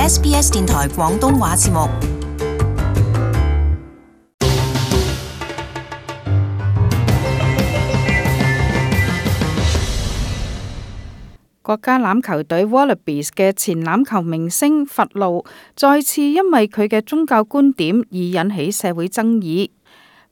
SBS 電台廣東話節目。國家欖球隊 Wallabies 嘅前欖球明星佛路再次因為佢嘅宗教觀點而引起社會爭議。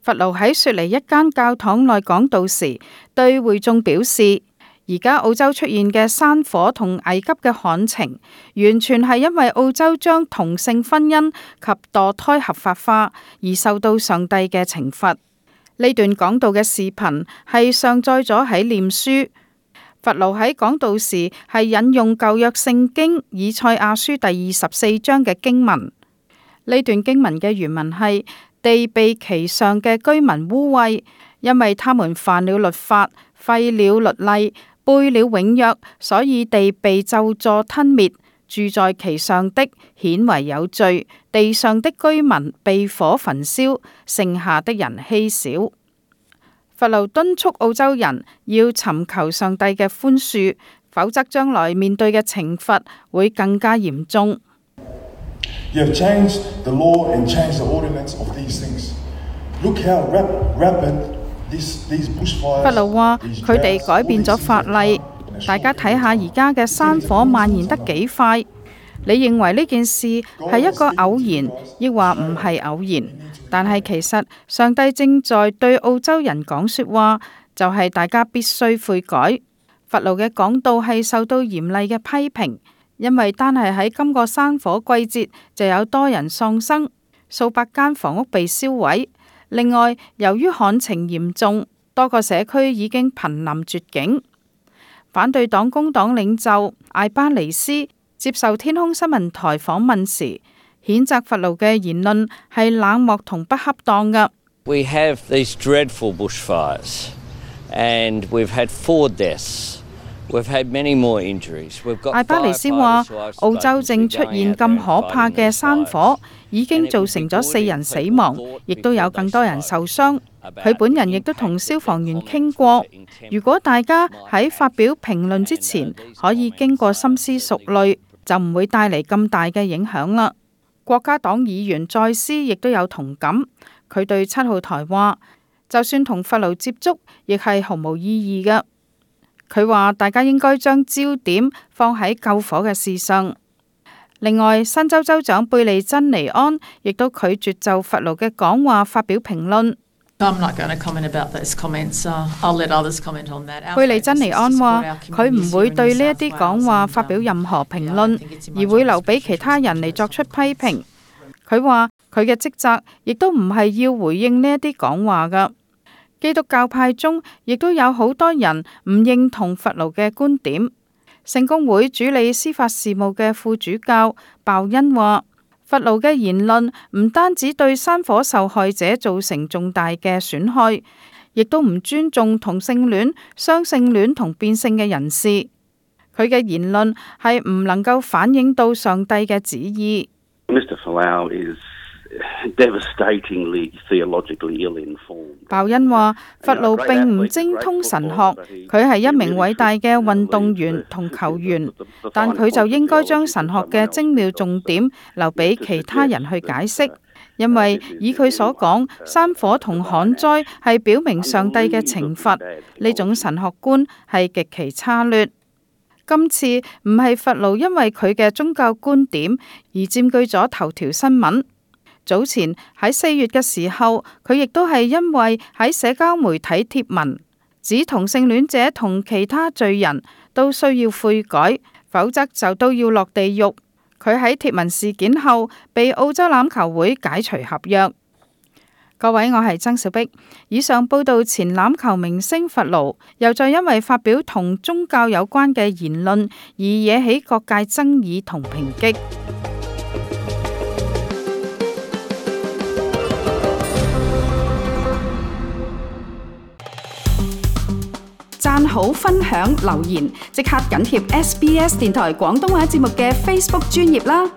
佛路喺雪梨一間教堂內講道時，對會眾表示，而家澳洲出現嘅山火同危急嘅旱情，完全係因為澳洲將同性婚姻及墮胎合法化而受到上帝嘅懲罰。呢段講道嘅視頻係上載咗喺臉書。佛路喺講道時係引用舊約聖經以賽亞書第24章嘅經文。呢段經文嘅原文係：地被其上嘅居民污穢，因為他們犯了律法，廢了律例，背了永約，所以地被咒詛吞滅。住在其上的顯為有罪，地上的居民被火焚燒，剩下的人稀少。佛路敦促澳洲人要尋求上帝嘅寬恕，否則將來面對嘅懲罰會更加嚴重。You have changed the law and changed the ordinance of these things. Look how rapid these bushfires. 佛路話佢哋改變咗法例，大家睇下而家嘅山火蔓延得幾快。你認為呢件事係一個偶然，抑或唔係偶然？但係其實上帝正在對澳洲人講說話，就係大家必須悔改。佛路嘅講道係受到嚴厲嘅批評，因為單係喺今個山火季節就有多人喪生，數百間房屋被燒毀。另外，由於旱情嚴重，多個社區已經瀕臨絕境。反對黨工黨領袖艾巴尼斯接受天空新聞台訪問時，譴責佛路嘅言論係冷漠同不恰當嘅。We have these dreadful bushfires, and we've had 4 deaths. We've had many more injuries. 艾巴尼斯話：澳洲正出現咁可怕嘅山火，已經造成咗4人死亡，亦都有更多人受傷。佢本人亦都同消防員傾過，如果大家喺發表評論之前可以經過深思熟慮，就唔會帶嚟咁大嘅影響啦。國家黨議員再斯亦都有同感，佢對7號台話：就算同佛路接觸，亦係毫無意義嘅。佢話大家應該將焦點放喺救火嘅事上。另外，新州州長貝利珍尼安亦都拒絕就佛路嘅講話發表評論。貝利珍尼安話佢唔會對呢一啲講話發表任何評論，而會留俾其他人嚟作出批評。佢話佢嘅職責亦都唔係要回應呢一啲講話㗎。基督教派中亦都有好多人唔認同佛路嘅觀點。聖公會主理司法事務嘅副主教鮑恩話：佛路嘅言論唔單止對山火受害者造成重大嘅損害，亦都唔尊重同性戀、雙性戀同變性嘅人士。佢嘅言論係唔能夠反映到上帝嘅旨意。鮑恩話：佛路並唔精通神學，佢係一名偉大嘅運動員同球員，但佢就應該將神學嘅精妙重點留俾其他人去解釋，因為以佢所講，山火同旱災係表明上帝嘅懲罰，呢種神學觀係極其差劣。今次唔係佛路因為佢嘅宗教觀點而佔據咗頭條新聞。早前喺4月嘅時候，佢亦都係因為喺社交媒體貼文指同性戀者同其他罪人都需要悔改，否則就都要落地獄。佢喺貼文事件後被澳洲欖球會解除合約。各位，我係曾小碧。以上報道前欖球明星佛路又再因為發表同宗教有關嘅言論而惹起各界爭議同抨擊。讚好、分享、留言，即刻緊貼SBS 電台廣東話節目嘅 Facebook 專頁啦！